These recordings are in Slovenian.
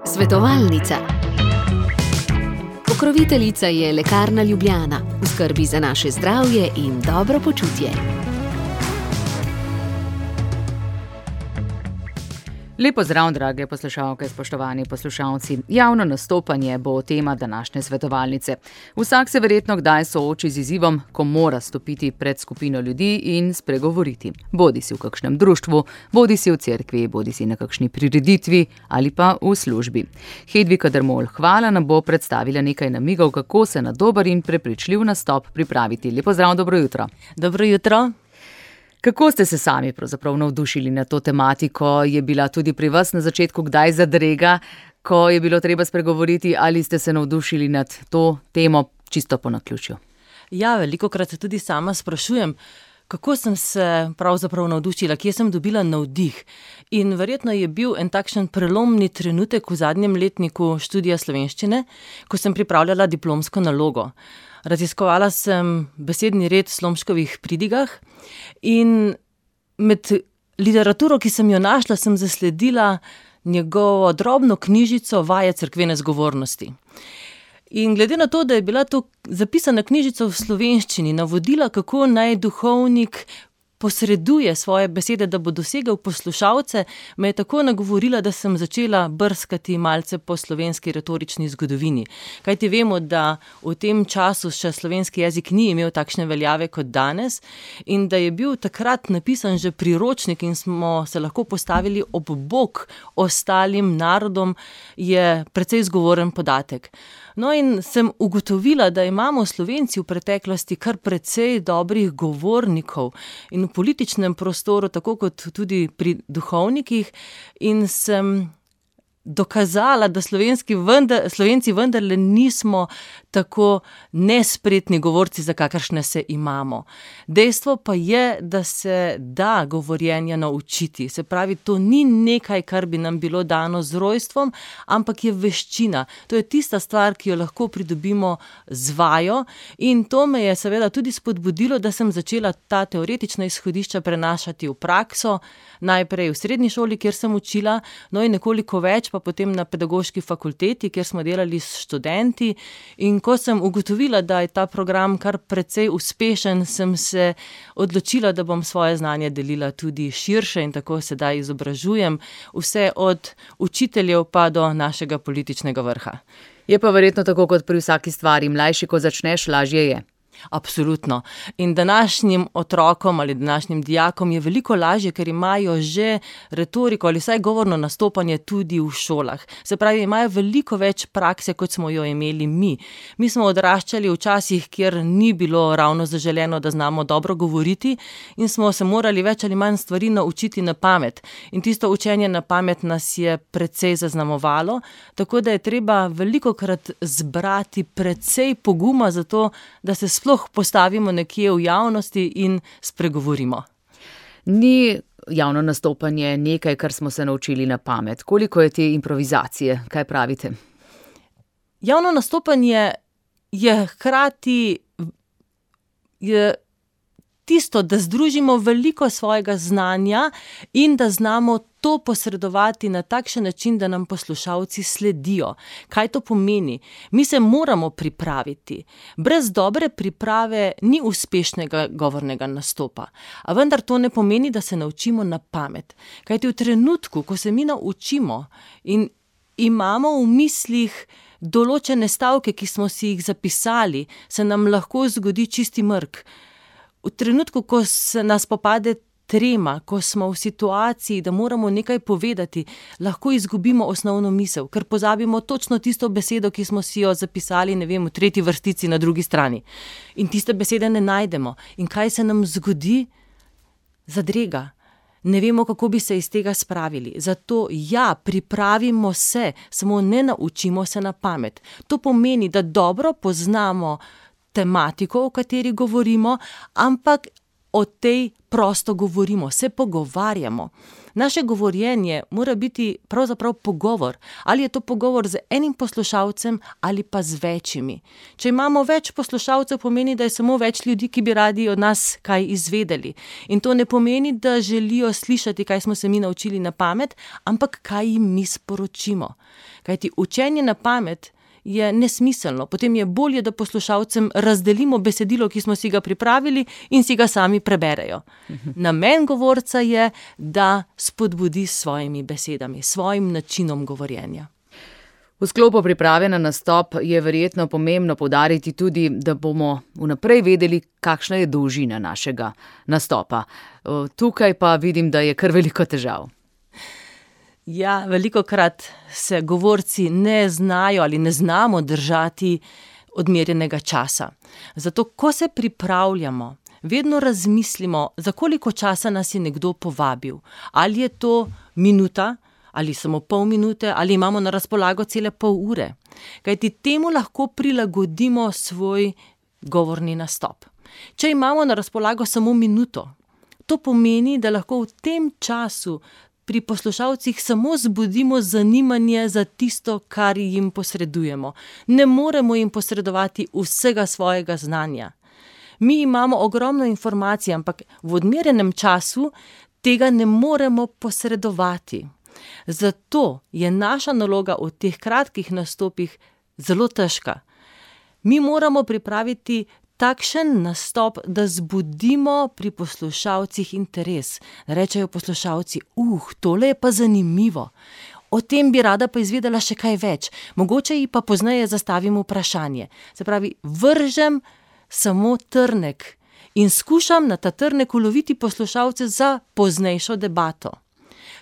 Svetovalnica. Pokroviteljica je Lekarna Ljubljana, v skrbi za naše zdravje in dobro počutje. Lepo zdrav, drage poslušalke, spoštovani poslušalci. Javno nastopanje bo tema današnje svetovalnice. Vsak se verjetno kdaj sooči z izzivom, ko mora stopiti pred skupino ljudi in spregovoriti. Bodisi v kakšnem društvu, bodisi v cerkvi, bodisi na kakšni prireditvi ali pa v službi. Hedvika Dermol, hvala, nam bo predstavila nekaj namigov, kako se na dober in prepričljiv nastop pripraviti. Lepo zdrav, dobro jutro. Dobro jutro. Kako ste se sami pravzaprav navdušili na to tematiko? Je bila tudi pri vas na začetku kdaj zadrega, ko je bilo treba spregovoriti, ali ste se navdušili nad to temo čisto po naključju? Ja, velikokrat se tudi sama sprašujem, kako sem se pravzaprav navdušila, kje sem dobila navdih. In verjetno je bil en takšen prelomni trenutek v zadnjem letniku študija slovenščine, ko sem pripravljala diplomsko nalogo. Raziskovala sem besedni red v Slomškovih pridigah in med literaturo, ki sem jo našla, sem zasledila njegovo drobno knjižico Vaje cerkvene zgovornosti. In glede na to, da je bila to zapisana knjižica v slovenščini, navodila, kako naj duhovnik posreduje svoje besede, da bo dosegel poslušalce, me je tako nagovorila, da sem začela brskati malce po slovenski retorični zgodovini. Kajti vemo, da v tem času še slovenski jezik ni imel takšne veljave kot danes in da je bil takrat napisan že priročnik in smo se lahko postavili ob bok ostalim narodom, je precej zgovoren podatek. No, in sem ugotovila, da imamo Slovenci v preteklosti kar precej dobrih govornikov in v političnem prostoru, tako kot tudi pri duhovnikih, in sem dokazala, da Slovenci vendarle nismo tako nespretni govorci, za kakršne se imamo. Dejstvo pa je, da se da govorjenja naučiti. Se pravi, to ni nekaj, kar bi nam bilo dano z rojstvom, ampak je veščina. To je tista stvar, ki jo lahko pridobimo z vajo, in to me je seveda tudi spodbudilo, da sem začela ta teoretična izhodišča prenašati v prakso, najprej v srednji šoli, kjer sem učila, no in nekoliko več pa potem na pedagoški fakulteti, kjer smo delali s študenti, in ko sem ugotovila, da je ta program kar precej uspešen, sem se odločila, da bom svoje znanje delila tudi širše in tako sedaj izobražujem vse od učiteljev pa do našega političnega vrha. Je pa verjetno tako kot pri vsaki stvari, mlajši, ko začneš, lažje je. Absolutno. In današnjim otrokom ali današnjim dijakom je veliko lažje, ker imajo že retoriko ali vsaj govorno nastopanje tudi v šolah. Se pravi, imajo veliko več prakse, kot smo jo imeli mi. Mi smo odraščali v časih, kjer ni bilo ravno zaželeno, da znamo dobro govoriti, in smo se morali več ali manj stvari naučiti na pamet. In tisto učenje na pamet nas je precej zaznamovalo, tako da je treba velikokrat zbrati precej poguma za to, da se sploh postavimo nekje v javnosti in spregovorimo. Ni javno nastopanje nekaj, kar smo se naučili na pamet. Koliko je te improvizacije? Kaj pravite? Javno nastopanje je hkrati tisto, da združimo veliko svojega znanja in da znamo to posredovati na takšen način, da nam poslušalci sledijo. Kaj to pomeni? Mi se moramo pripraviti. Brez dobre priprave ni uspešnega govornega nastopa. A vendar to ne pomeni, da se naučimo na pamet. Kajti v trenutku, ko se mi naučimo in imamo v mislih določene stavke, ki smo si jih zapisali, se nam lahko zgodi čisti mrk. V trenutku, ko se nas popade trema, ko smo v situaciji, da moramo nekaj povedati, lahko izgubimo osnovno misel, ker pozabimo točno tisto besedo, ki smo si jo zapisali, ne vem, v tretji vrstici na drugi strani. In tiste besede ne najdemo. In kaj se nam zgodi? Zadrega. Ne vemo, kako bi se iz tega spravili. Zato pripravimo se, samo ne naučimo se na pamet. To pomeni, da dobro poznamo tematiko, o kateri govorimo, ampak o tej prosto govorimo, se pogovarjamo. Naše govorjenje mora biti pravzaprav pogovor. Ali je to pogovor z enim poslušalcem ali pa z večjimi. Če imamo več poslušalcev, pomeni, da je samo več ljudi, ki bi radi od nas kaj izvedeli. In to ne pomeni, da želijo slišati, kaj smo se mi naučili na pamet, ampak kaj jim mi sporočimo. Kajti učenje na pamet je nesmiselno. Potem je bolje, da poslušalcem razdelimo besedilo, ki smo si ga pripravili in si ga sami preberejo. Namen govorca je, da spodbudi s svojimi besedami, svojim načinom govorjenja. V sklopu priprave na nastop je verjetno pomembno poudariti tudi, da bomo vnaprej vedeli, kakšna je dolžina našega nastopa. Tukaj pa vidim, da je kar veliko težav. Ja, velikokrat se govorci ne znajo ali ne znamo držati odmerjenega časa. Zato, ko se pripravljamo, vedno razmislimo, za koliko časa nas je nekdo povabil. Ali je to minuta, ali samo pol minute, ali imamo na razpolago cele pol ure. Kajti temu lahko prilagodimo svoj govorni nastop. Če imamo na razpolago samo minuto, to pomeni, da lahko v tem času pri poslušalcih samo zbudimo zanimanje za tisto, kar jim posredujemo. Ne moremo jim posredovati vsega svojega znanja. Mi imamo ogromno informacij, ampak v odmerjenem času tega ne moremo posredovati. Zato je naša naloga v teh kratkih nastopih zelo težka. Mi moramo pripraviti takšen nastop, da zbudimo pri poslušalcih interes. Rečejo poslušalci, tole je pa zanimivo. O tem bi rada pa izvedela še kaj več. Mogoče ji pa pozneje zastavim vprašanje. Se pravi, vržem samo trnek in skušam na ta trnek uloviti poslušalce za poznejšo debato.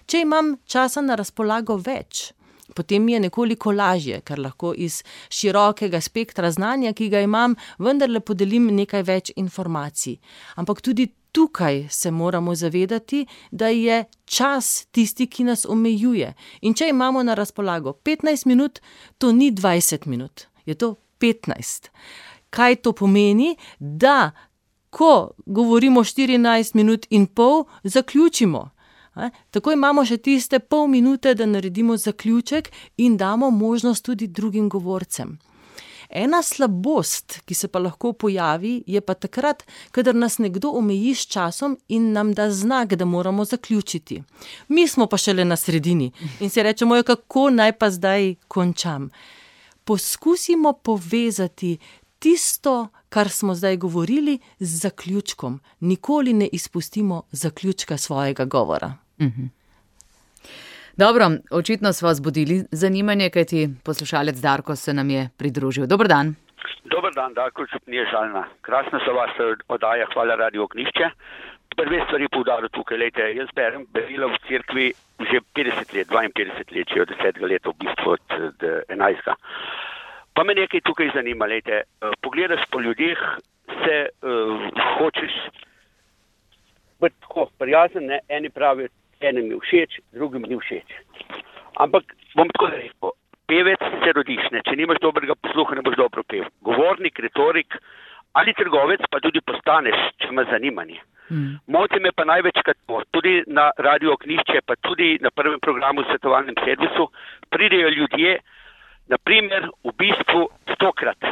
Če imam časa na razpolago več, potem mi je nekoliko lažje, ker lahko iz širokega spektra znanja, ki ga imam, vendarle podelim nekaj več informacij. Ampak tudi tukaj se moramo zavedati, da je čas tisti, ki nas omejuje. In če imamo na razpolago 15 minut, to ni 20 minut, je to 15. Kaj to pomeni? Da, ko govorimo 14 minut in pol, zaključimo. Tako imamo še tiste pol minute, da naredimo zaključek in damo možnost tudi drugim govorcem. Ena slabost, ki se pa lahko pojavi, je pa takrat, kadar nas nekdo omeji s časom in nam da znak, da moramo zaključiti. Mi smo pa šele na sredini in si rečemo, kako naj pa zdaj končam. Poskusimo povezati tisto, kar smo zdaj govorili, z zaključkom. Nikoli ne izpustimo zaključka svojega govora. Dobro, očitno smo zbudili zanimanje, kajti poslušalec Darko se nam je pridružil. Dober dan. Dober dan, Darko Čupnije Žalna. Krasna so vas oddaja, hvala Radio Ognjišče. Prve stvari poudaril tukaj, lejte, jaz berem berila v cerkvi že 50 let, 52 let, že od 10 let, v bistvu od 11. Pa me nekaj tukaj zanima, lejte, pogledaš po ljudeh, se hočeš biti tako prijazen, ne, eni pravijo, enem je všeč, drugim ni všeč. Ampak bom tako rekel, pevec se rodiš, ne, če nimaš dobrega posluha, ne boš dobro pev. Govornik, retorik ali trgovec pa tudi postaneš, če imaš zanimanje. Moti me pa največkrat to, tudi na Radio Ognjišče, pa tudi na prvem programu v svetovalnem servisu, pridejo ljudje, naprimer, v bistvu 100-krat.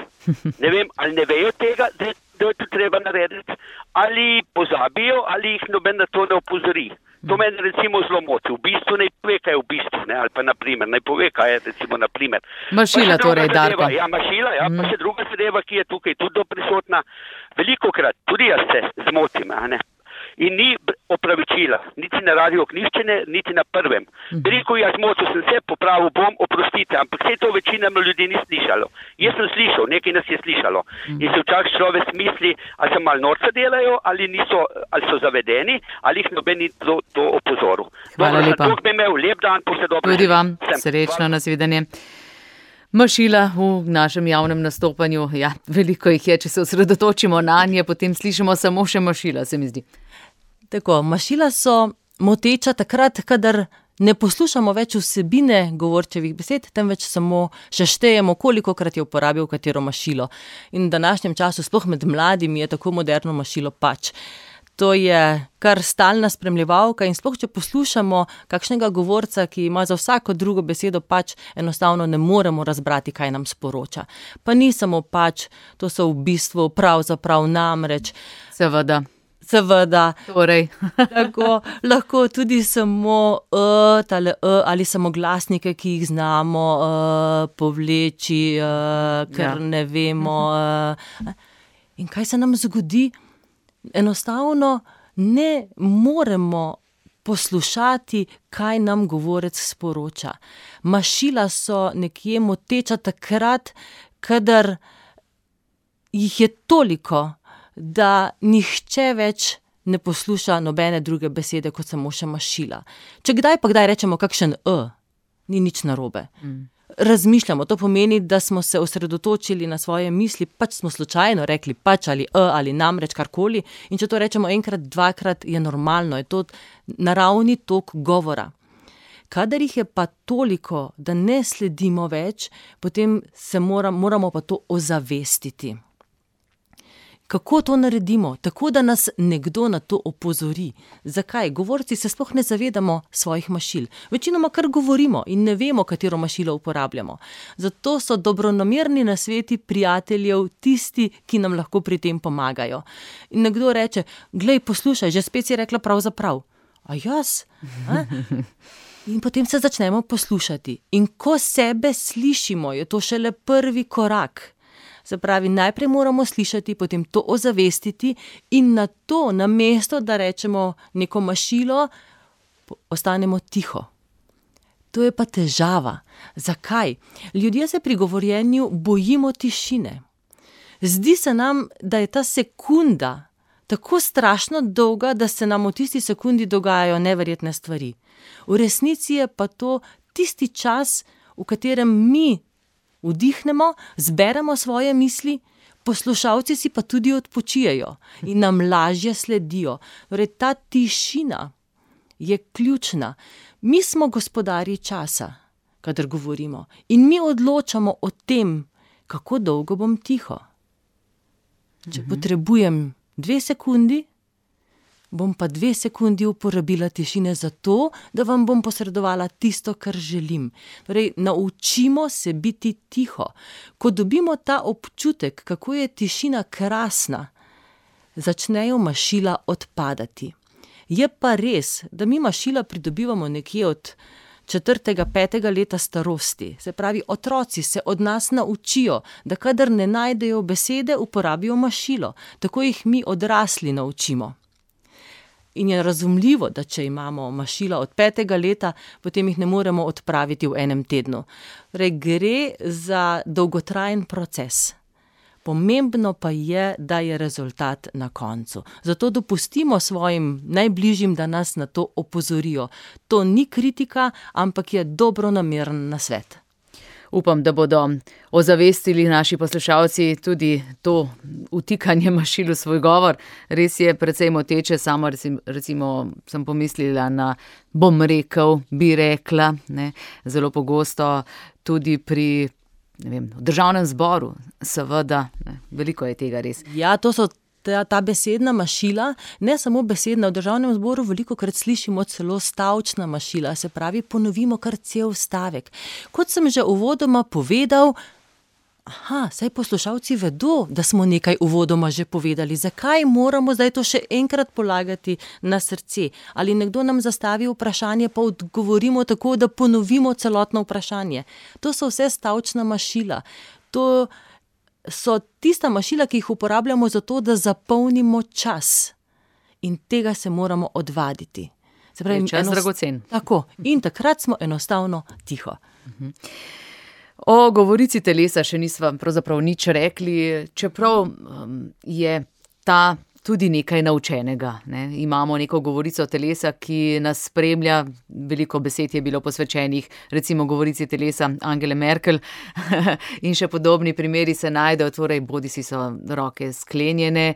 Ne vem, ali ne vejo tega, da je to treba narediti, ali pozabijo, ali jih noben na to ne opozori. To meni recimo zelo moti. V bistvu naj pove, kaj je v bistvu, ne, ali pa naprimer, naj pove, kaj je recimo naprimer. Mašila torej, Darko. Ja, mašila, ja, pa še druga zadeva, ki je tukaj tudi prisotna. Velikokrat, tudi jaz se zmotim, a ne. In ni opravičila, niti na Radio Ognjišče, niti na prvem. Rekel, jaz zmotil sem se, popravil bom, oprostite, ampak vse to večina ljudi ni slišalo. Jaz sem slišal, nekaj nas je slišalo. In se včasih človek misli, ali se malo norca delajo, ali so zavedeni, ali jih noben ni to opozoril. Hvala lepa. Dobro, bi imel lep dan, posledobno. Tudi vam, srečno, nasvidenje. Mašila v našem javnem nastopanju, ja, veliko jih je, če se osredotočimo na nje, potem slišimo samo še mašila, se mi zdi. Tako, mašila so moteča takrat, kadar ne poslušamo več vsebine govorčevih besed, temveč samo še štejemo, kolikokrat je uporabil katero mašilo. In v današnjem času, sploh med mladimi, je tako moderno mašilo pač. To je kar stalna spremljevalka in sploh, če poslušamo kakšnega govorca, ki ima za vsako drugo besedo, pač enostavno ne moremo razbrati, kaj nam sporoča. Pa ni samo pač, to so v bistvu pravzaprav namreč. Seveda. Torej. Tako, lahko tudi samo ali samoglasnike, ki jih znamo povleči, ker ne vemo. In kaj se nam zgodi? Enostavno ne moremo poslušati, kaj nam govorec sporoča. Mašila so nekje moteča takrat, kadar jih je toliko, da nihče več ne posluša nobene druge besede, kot samo še mašila. Če kdaj rečemo kakšen ni nič narobe. Razmišljamo, to pomeni, da smo se osredotočili na svoje misli, pač smo slučajno rekli pač ali namreč karkoli, in če to rečemo enkrat, dvakrat, je normalno, je to naravni tok govora. Kadar jih je pa toliko, da ne sledimo več, potem moramo pa to ozavestiti. Kako to naredimo? Tako, da nas nekdo na to opozori. Zakaj? Govorci se sploh ne zavedamo svojih mašil. Večinoma kar govorimo in ne vemo, katero mašilo uporabljamo. Zato so dobronamerni nasveti prijateljev tisti, ki nam lahko pri tem pomagajo. In nekdo reče, glej, poslušaj, že spet si rekla pravzaprav. A jaz? In potem se začnemo poslušati. In ko sebe slišimo, je to šele prvi korak. Se pravi, najprej moramo slišati, potem to ozavestiti in na to, namesto da rečemo neko mašilo, ostanemo tiho. To je pa težava. Zakaj? Ljudje se pri govorjenju bojimo tišine. Zdi se nam, da je ta sekunda tako strašno dolga, da se nam v tisti sekundi dogajajo neverjetne stvari. V resnici je pa to tisti čas, v katerem mi vdihnemo, zberemo svoje misli, poslušalci si pa tudi odpočijejo in nam lažje sledijo. Torej, ta tišina je ključna. Mi smo gospodarji časa, kadar govorimo, in mi odločamo o tem, kako dolgo bom tiho. Če potrebujem 2 sekundi, bom pa 2 sekundi uporabila tišine za to, da vam bom posredovala tisto, kar želim. Torej, naučimo se biti tiho. Ko dobimo ta občutek, kako je tišina krasna, začnejo mašila odpadati. Je pa res, da mi mašila pridobivamo nekje od 4., 5. leta starosti. Se pravi, otroci se od nas naučijo, da kadar ne najdejo besede, uporabijo mašilo. Tako jih mi odrasli naučimo. In je razumljivo, da če imamo mašila od 5. leta, potem jih ne moremo odpraviti v enem tednu. Torej, gre za dolgotrajen proces. Pomembno pa je, da je rezultat na koncu. Zato dopustimo svojim najbližjim, da nas na to opozorijo. To ni kritika, ampak je dobronameren nasvet. Upam, da bodo ozavestili naši poslušalci tudi to vtikanje mašil v svoj govor. Res je precej moteče, samo recimo sem pomislila na bom rekel, bi rekla, ne, zelo pogosto tudi pri v državnem zboru, seveda, ne, veliko je tega res. Ja, to so ta besedna mašila, ne samo besedna, v državnem zboru velikokrat slišimo celo stavčna mašila, se pravi, ponovimo kar cel stavek. Kot sem že uvodoma povedal, saj poslušalci vedo, da smo nekaj uvodoma že povedali. Zakaj moramo zdaj to še enkrat polagati na srce? Ali nekdo nam zastavi vprašanje, pa odgovorimo tako, da ponovimo celotno vprašanje. To so vse stavčna mašila. To so tista mašila, ki jih uporabljamo zato, da zapolnimo čas. In tega se moramo odvaditi. Se pravi, čas dragocen. Tako. In takrat smo enostavno tiho. O govorici telesa še nisva pravzaprav nič rekli, čeprav je ta tudi nekaj naučenega. Ne? Imamo neko govorico telesa, ki nas spremlja, veliko besed je bilo posvečenih, recimo govorici telesa Angele Merkel in še podobni primeri se najdejo, torej bodisi so roke sklenjene,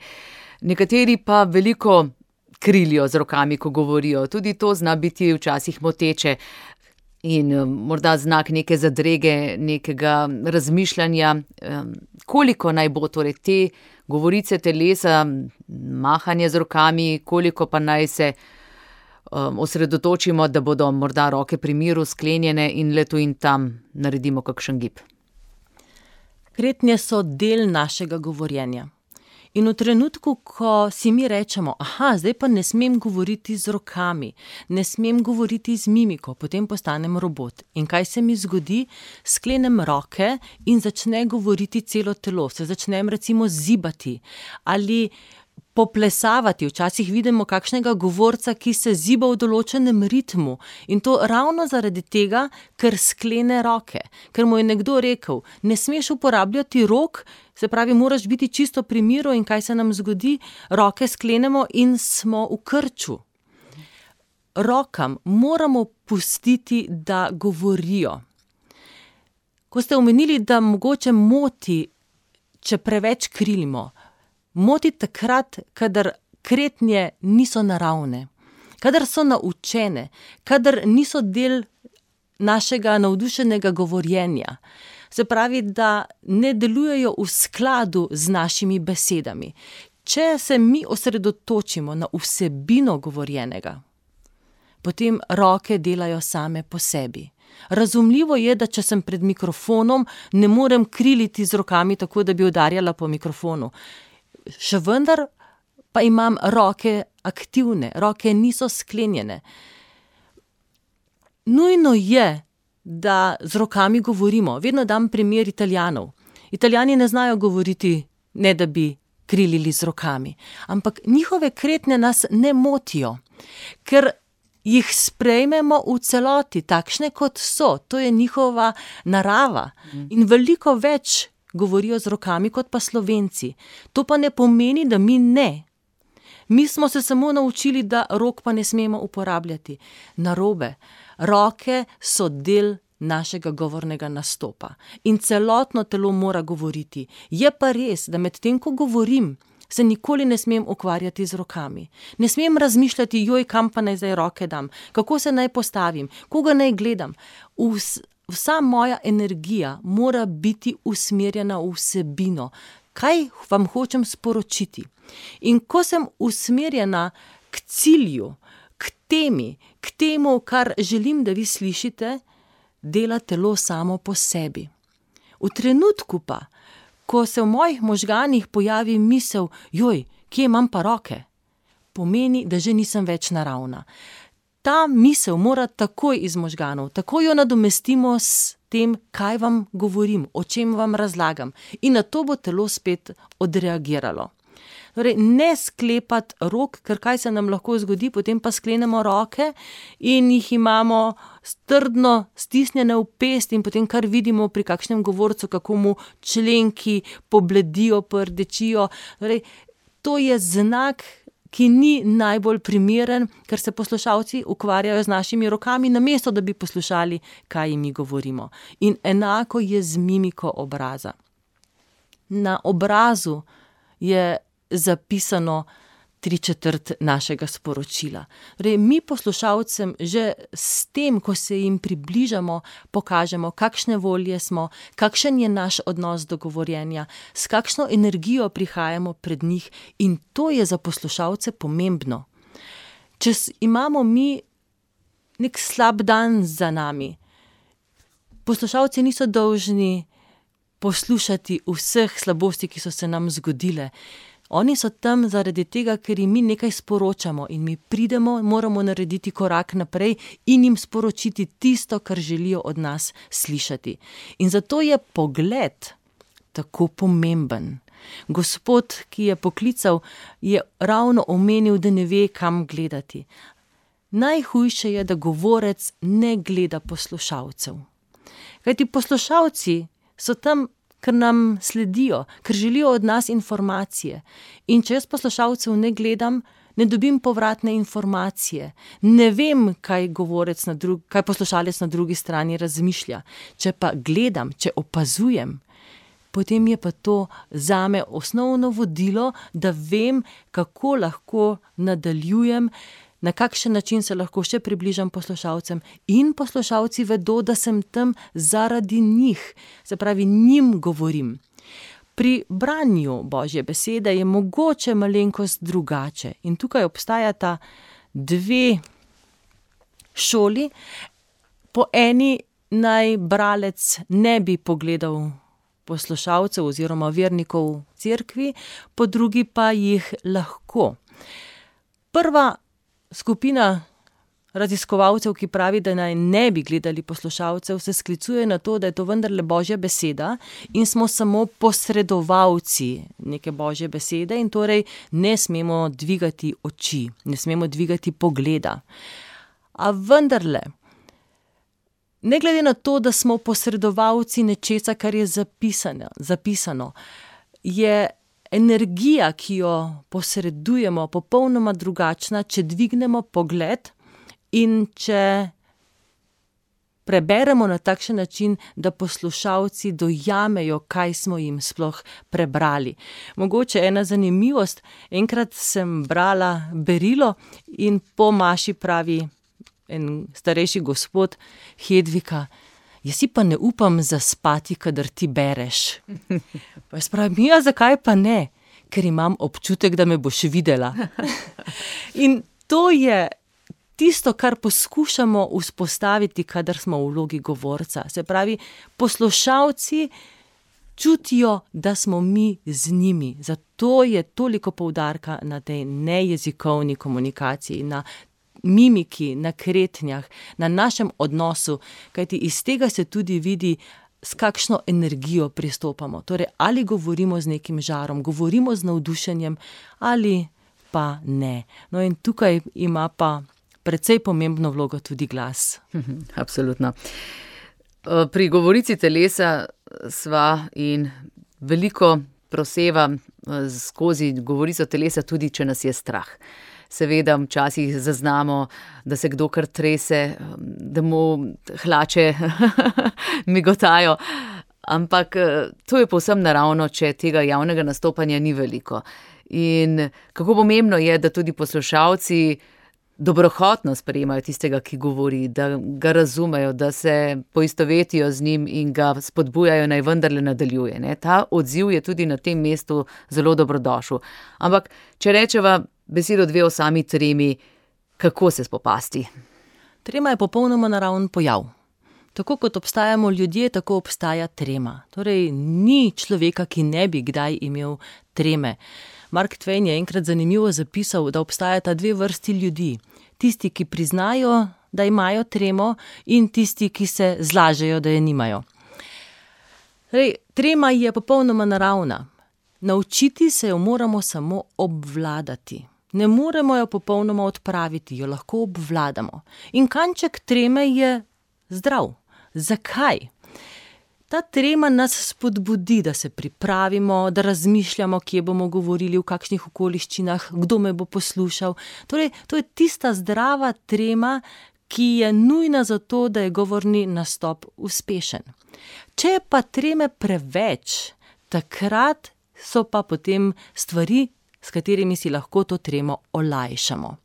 nekateri pa veliko krilijo z rokami, ko govorijo, tudi to zna biti včasih moteče. in morda znak neke zadrege, nekega razmišljanja, koliko naj bo torej te govorice telesa, mahanje z rokami, koliko pa naj se osredotočimo, da bodo morda roke pri miru sklenjene in le tu in tam naredimo kakšen gib. Kretnje so del našega govorjenja. In v trenutku, ko si mi rečemo, zdaj pa ne smem govoriti z rokami, ne smem govoriti z mimiko, potem postanem robot. In kaj se mi zgodi? Sklenem roke in začne govoriti celo telo. Se začnem recimo zibati ali poplesavati. Včasih vidimo kakšnega govorca, ki se ziba v določenem ritmu. In to ravno zaradi tega, ker sklene roke. Ker mu je nekdo rekel, ne smeš uporabljati rok, se pravi, moraš biti čisto pri miru. In kaj se nam zgodi? Roke sklenemo in smo v krču. Rokam moramo pustiti, da govorijo. Ko ste omenili, da mogoče moti, če preveč krilimo, moti takrat, kadar kretnje niso naravne, kadar so naučene, kadar niso del našega navdušenega govorjenja. Se pravi, da ne delujejo v skladu z našimi besedami. Če se mi osredotočimo na vsebino govorjenega, potem roke delajo same po sebi. Razumljivo je, da če sem pred mikrofonom, ne morem kriliti z rokami tako, da bi udarjala po mikrofonu. Še vendar pa imam roke aktivne, roke niso sklenjene. Nujno je, da z rokami govorimo. Vedno dam primer Italijanov. Italijani ne znajo govoriti, ne da bi krilili z rokami. Ampak njihove kretnje nas ne motijo, ker jih sprejmemo v celoti, takšne kot so. To je njihova narava. In veliko več govorijo z rokami kot pa Slovenci. To pa ne pomeni, da mi ne. Mi smo se samo naučili, da rok pa ne smemo uporabljati. Narobe. Roke so del našega govornega nastopa. In celotno telo mora govoriti. Je pa res, da med tem, ko govorim, se nikoli ne smem ukvarjati z rokami. Ne smem razmišljati, kam pa naj zdaj roke dam, kako se naj postavim, koga naj gledam. Vsa moja energija mora biti usmerjena v vsebino. Kaj vam hočem sporočiti? In ko sem usmerjena k cilju, k temi, k temu, kar želim, da vi slišite, dela telo samo po sebi. V trenutku pa, ko se v mojih možganih pojavi misel, kje imam pa roke? Pomeni, da že nisem več naravna. Ta misel mora takoj iz možganov, takoj jo nadomestimo s tem, kaj vam govorim, o čem vam razlagam. In na to bo telo spet odreagiralo. Torej, ne sklepati rok, ker kaj se nam lahko zgodi, potem pa sklenemo roke in jih imamo trdno stisnjene v pest in potem kar vidimo pri kakšnem govorcu, kako mu členki pobledijo, pordečijo. Torej, to je znak, ki ni najbolj primeren, ker se poslušalci ukvarjajo z našimi rokami, namesto da bi poslušali, kaj jim mi govorimo. In enako je z mimiko obraza. Na obrazu je zapisano 3/4 našega sporočila. Torej, mi poslušalcem že s tem, ko se jim približamo, pokažemo, kakšne volje smo, kakšen je naš odnos do govorjenja, s kakšno energijo prihajamo pred njih, in to je za poslušalce pomembno. Če imamo mi nek slab dan za nami, poslušalci niso dolžni poslušati vseh slabosti, ki so se nam zgodile. Oni so tam zaradi tega, ker jim mi nekaj sporočamo in mi pridemo, moramo narediti korak naprej in jim sporočiti tisto, kar želijo od nas slišati. In zato je pogled tako pomemben. Gospod, ki je poklical, je ravno omenil, da ne ve, kam gledati. Najhujše je, da govorec ne gleda poslušalcev. Kajti poslušalci so tam, ker nam sledijo, ker želijo od nas informacije. In če jaz poslušalcev ne gledam, ne dobim povratne informacije. Ne vem, kaj poslušalec na drugi strani razmišlja. Če pa gledam, če opazujem, potem je pa to zame osnovno vodilo, da vem, kako lahko nadaljujem na kakšen način se lahko še približam poslušalcem in poslušalci vedo, da sem tam zaradi njih, se pravi, njim govorim. Pri branju Božje besede je mogoče malenkost drugače in tukaj obstajata dve šoli. Po eni naj bralec ne bi pogledal poslušalcev oziroma vernikov v cerkvi, po drugi pa jih lahko. Prva skupina raziskovalcev, ki pravi, da naj ne bi gledali poslušalcev, se sklicuje na to, da je to vendarle Božja beseda in smo samo posredovalci neke Božje besede in torej ne smemo dvigati oči, ne smemo dvigati pogleda. A vendarle, ne glede na to, da smo posredovalci nečesa, kar je zapisano, je energija, ki jo posredujemo, popolnoma drugačna, če dvignemo pogled in če preberemo na takšen način, da poslušalci dojamejo, kaj smo jim sploh prebrali. Mogoče ena zanimivost, enkrat sem brala berilo in po maši pravi en starejši gospod: Hedvika, jaz si pa ne upam zaspati, kadar ti bereš. Pa jaz pravim: ja, zakaj pa ne? Ker imam občutek, da me boš videla. In to je tisto, kar poskušamo vzpostaviti, kadar smo v vlogi govorca. Se pravi, poslušalci čutijo, da smo mi z njimi. Zato je toliko poudarka na tej nejezikovni komunikaciji, na mimiki, na kretnjah, na našem odnosu, kajti iz tega se tudi vidi, s kakšno energijo pristopamo. Torej, ali govorimo z nekim žarom, govorimo z navdušenjem ali pa ne. No in tukaj ima pa precej pomembno vlogo tudi glas. Absolutno. Pri govorici telesa sva in veliko proseva skozi govorico telesa, tudi če nas je strah. Seveda včasih zaznamo, da se kdo kar trese, da mu hlače migotajo, ampak to je povsem naravno, če tega javnega nastopanja ni veliko. In kako pomembno je, da tudi poslušalci dobrohotno sprejemajo tistega, ki govori, da ga razumejo, da se poistovetijo z njim in ga spodbujajo, naj vendarle nadaljuje. Ne? Ta odziv je tudi na tem mestu zelo dobrodošel. Ampak, če rečeva besedo dve o sami tremi, kako se spopasti? Trema je popolnoma naraven pojav. Tako kot obstajamo ljudje, tako obstaja trema. Torej, ni človeka, ki ne bi kdaj imel treme. Mark Twain je enkrat zanimivo zapisal, da obstajata dve vrsti ljudi. Tisti, ki priznajo, da imajo tremo, in tisti, ki se zlažejo, da je nimajo. Torej, trema je popolnoma naravna. Naučiti se jo moramo samo obvladati. Ne moremo jo popolnoma odpraviti, jo lahko obvladamo. In kanček treme je zdrav. Zakaj? Ta trema nas spodbudi, da se pripravimo, da razmišljamo, kje bomo govorili, v kakšnih okoliščinah, kdo me bo poslušal. Torej, to je tista zdrava trema, ki je nujna za to, da je govorni nastop uspešen. Če je pa treme preveč, takrat so pa potem stvari, s katerimi si lahko to tremo olajšamo.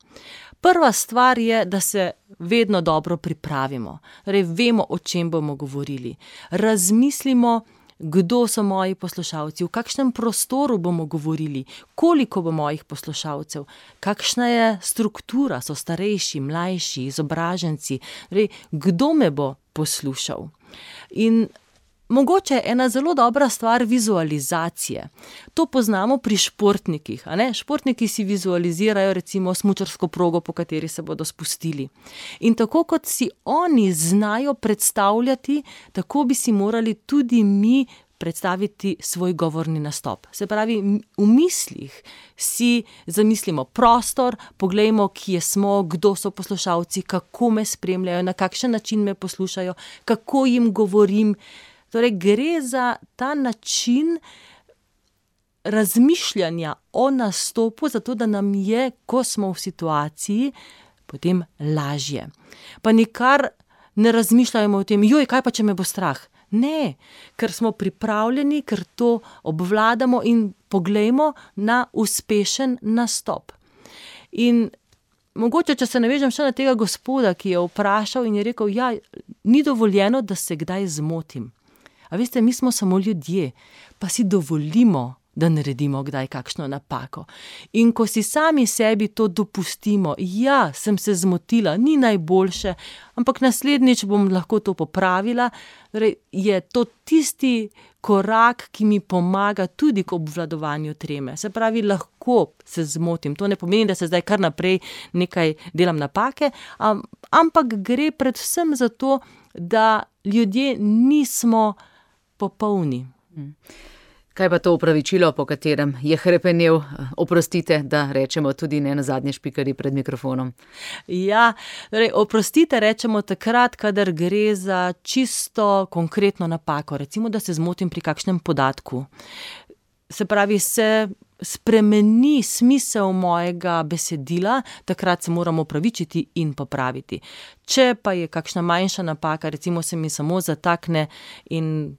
Prva stvar je, da se vedno dobro pripravimo. Torej, vemo, o čem bomo govorili. Razmislimo, kdo so moji poslušalci, v kakšnem prostoru bomo govorili, koliko bo mojih poslušalcev, kakšna je struktura, so starejši, mlajši, izobraženci, torej, kdo me bo poslušal. In mogoče je ena zelo dobra stvar vizualizacije. To poznamo pri športnikih. A ne? Športniki si vizualizirajo recimo smučarsko progo, po kateri se bodo spustili. In tako kot si oni znajo predstavljati, tako bi si morali tudi mi predstaviti svoj govorni nastop. Se pravi, v mislih si zamislimo prostor, poglejmo, kje smo, kdo so poslušalci, kako me spremljajo, na kakšen način me poslušajo, kako jim govorim. Torej, gre za ta način razmišljanja o nastopu, zato da nam je, ko smo v situaciji, potem lažje. Pa nikar ne razmišljajmo o tem, joj, kaj pa, če me bo strah? Ne, ker smo pripravljeni, ker to obvladamo in poglejmo na uspešen nastop. In mogoče, če se navežem še na tega gospoda, ki je vprašal in je rekel, ja, ni dovoljeno, da se kdaj zmotim. A veste, mi smo samo ljudje, pa si dovolimo, da naredimo kdaj kakšno napako. In ko si sami sebi to dopustimo, ja, sem se zmotila, ni najboljše, ampak naslednjič bom lahko to popravila, torej je to tisti korak, ki mi pomaga tudi k obvladovanju treme. Se pravi, lahko se zmotim. To ne pomeni, da se zdaj kar naprej nekaj delam napake, ampak gre predvsem za to, da ljudje nismo popolni. Kaj pa to opravičilo, po katerem je hrepenel, oprostite, da rečemo tudi ne na zadnje špikari pred mikrofonom? Ja, torej, oprostite rečemo takrat, kadar gre za čisto konkretno napako. Recimo, da se zmotim pri kakšnem podatku. Se pravi, se spremeni smisel mojega besedila, takrat se moramo opravičiti in popraviti. Če pa je kakšna manjša napaka, recimo se mi samo zatakne in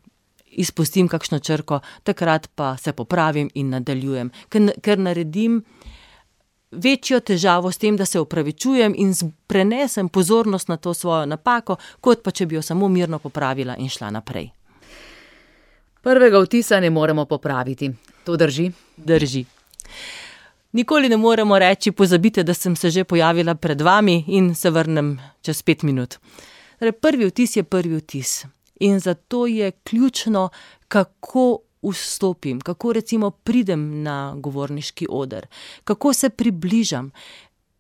izpustim kakšno črko, takrat pa se popravim in nadaljujem. Ker naredim večjo težavo s tem, da se opravičujem in prenesem pozornost na to svojo napako, kot pa če bi jo samo mirno popravila in šla naprej. Prvega vtisa ne moremo popraviti. To drži? Drži. Nikoli ne moremo reči, pozabite, da sem se že pojavila pred vami in se vrnem čez 5 minut. Torej, prvi vtis je prvi vtis. In zato je ključno, kako vstopim, kako recimo pridem na govorniški oder, kako se približam.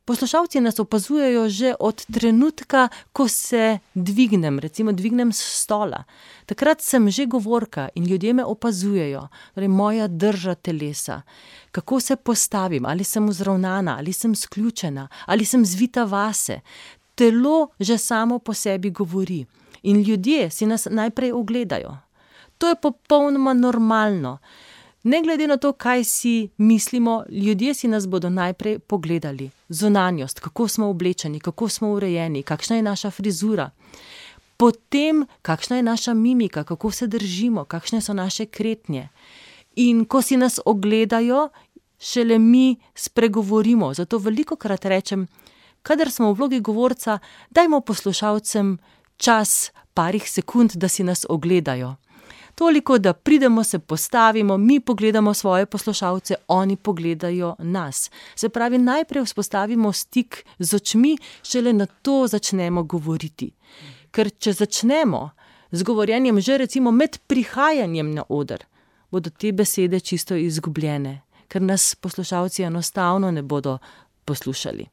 Poslušalci nas opazujejo že od trenutka, ko se dvignem, recimo dvignem s stola. Takrat sem že govorka in ljudje me opazujejo, torej moja drža telesa. Kako se postavim, ali sem vzravnana, ali sem sključena, ali sem zvita vase. Telo že samo po sebi govori. In ljudje si nas najprej ogledajo. To je popolnoma normalno. Ne glede na to, kaj si mislimo, ljudje si nas bodo najprej pogledali. Zunanjost, kako smo oblečeni, kako smo urejeni, kakšna je naša frizura. Potem, kakšna je naša mimika, kako se držimo, kakšne so naše kretnje. In ko si nas ogledajo, šele mi spregovorimo. Zato velikokrat rečem, kadar smo v vlogi govorca, dajmo poslušalcem čas parih sekund, da si nas ogledajo. Toliko, da pridemo, se postavimo, mi pogledamo svoje poslušalce, oni pogledajo nas. Se pravi, najprej vzpostavimo stik z očmi, šele na to začnemo govoriti. Ker če začnemo z govorjenjem že recimo med prihajanjem na oder, bodo te besede čisto izgubljene, ker nas poslušalci enostavno ne bodo poslušali.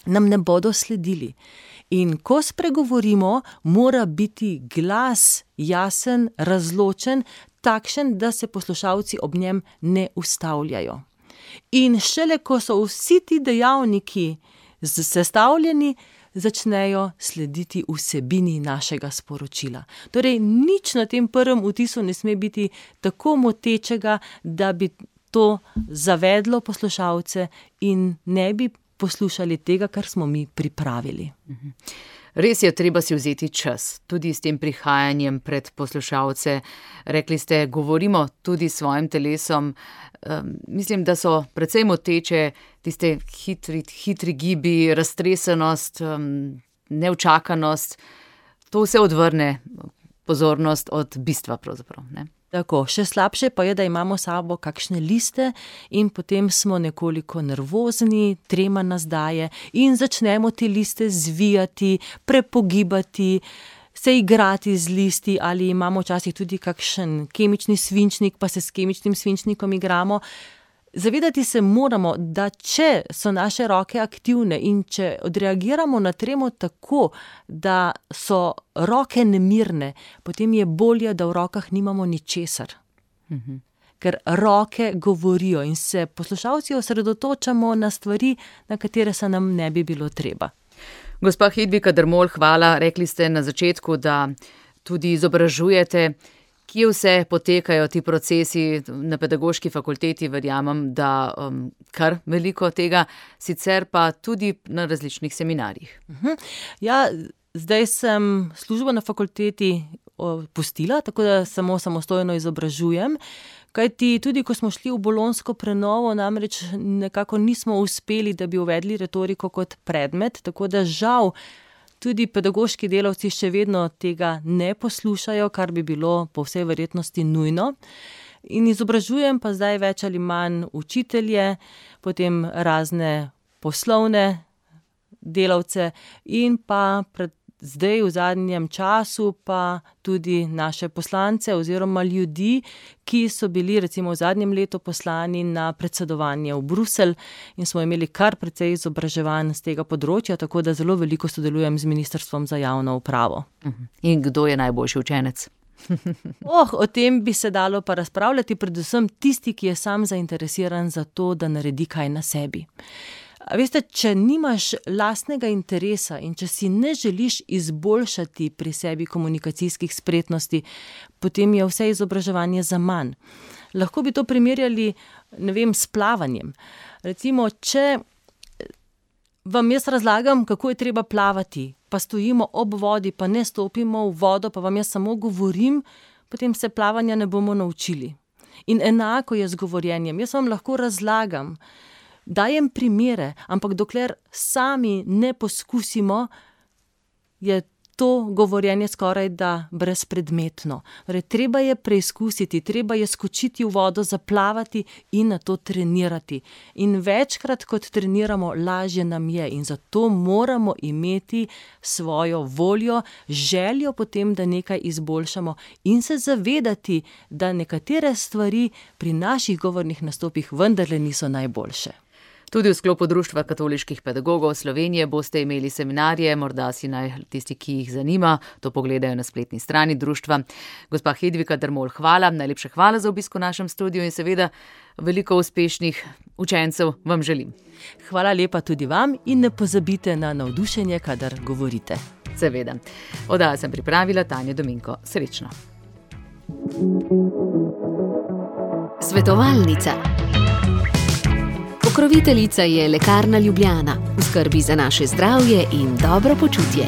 Nam ne bodo sledili. In ko spregovorimo, mora biti glas jasen, razločen, takšen, da se poslušalci ob njem ne ustavljajo. In šele ko so vsi ti dejavniki sestavljeni, začnejo slediti vsebini našega sporočila. Torej, nič na tem prvem vtisu ne sme biti tako motečega, da bi to zavedlo poslušalce in ne bi poslušali tega, kar smo mi pripravili. Res je, treba si vzeti čas, tudi s tem prihajanjem pred poslušalce. Rekli ste, govorimo tudi s svojim telesom. Mislim, da so precej moteče tiste hitri gibi, raztresenost, neučakanost. To vse odvrne pozornost od bistva pravzaprav, ne? Tako, še slabše pa je, da imamo s sabo kakšne liste in potem smo nekoliko nervozni, trema nas daje in začnemo te liste zvijati, prepogibati, se igrati z listi ali imamo včasih tudi kakšen kemični svinčnik, pa se s kemičnim svinčnikom igramo. Zavedati se moramo, da če so naše roke aktivne in če odreagiramo na tremo tako, da so roke nemirne, potem je bolje, da v rokah nimamo ničesar. Ker roke govorijo in se poslušalci osredotočamo na stvari, na katere se nam ne bi bilo treba. Gospa Hedvika Dermol, hvala. Rekli ste na začetku, da tudi izobražujete. Kje vse potekajo ti procesi na pedagoški fakulteti, verjamem, da kar veliko tega, sicer pa tudi na različnih seminarjih. Ja, zdaj sem službo na fakulteti pustila, tako da samo samostojno izobražujem, Kajti tudi, ko smo šli v bolonjsko prenovo, namreč nekako nismo uspeli, da bi uvedli retoriko kot predmet, tako da žal tudi pedagoški delavci še vedno tega ne poslušajo, kar bi bilo po vsej verjetnosti nujno. In izobražujem pa zdaj več ali manj učitelje, potem razne poslovne delavce in pa zdaj v zadnjem času pa tudi naše poslance oziroma ljudi, ki so bili recimo v zadnjem letu poslani na predsedovanje v Bruselj in smo imeli kar precej izobraževanj z tega področja, tako da zelo veliko sodelujem z Ministrstvom za javno upravo. In kdo je najboljši učenec? O tem bi se dalo pa razpravljati, predvsem tisti, ki je sam zainteresiran za to, da naredi kaj na sebi. A veste, če nimaš lastnega interesa in če si ne želiš izboljšati pri sebi komunikacijskih spretnosti, potem je vse izobraževanje zaman. Lahko bi to primerjali, s plavanjem. Recimo, če vam jaz razlagam, kako je treba plavati, pa stojimo ob vodi, pa ne stopimo v vodo, pa vam jaz samo govorim, potem se plavanja ne bomo naučili. In enako je z govorjenjem. Jaz vam lahko razlagam, dajem primere, ampak dokler sami ne poskusimo, je to govorjenje skoraj da brezpredmetno. Treba je preizkusiti, treba je skočiti v vodo, zaplavati in na to trenirati. In večkrat, kot treniramo, lažje nam je in zato moramo imeti svojo voljo, željo potem, da nekaj izboljšamo in se zavedati, da nekatere stvari pri naših govornih nastopih vendarle niso najboljše. Tudi v sklopu Društva katoliških pedagogov Slovenije boste imeli seminarje, morda si naj tisti, ki jih zanima, to pogledajo na spletni strani društva. Gospa Hedvika Dermol, hvala, najlepša hvala za obisk v našem studiu in seveda veliko uspešnih učencev vam želim. Hvala lepa tudi vam in ne pozabite na navdušenje, kadar govorite. Seveda. Oddajo sem pripravila Tanja Dominko. Srečno. Svetovalnica. Pokroviteljica je Lekarna Ljubljana, v skrbi za naše zdravje in dobro počutje.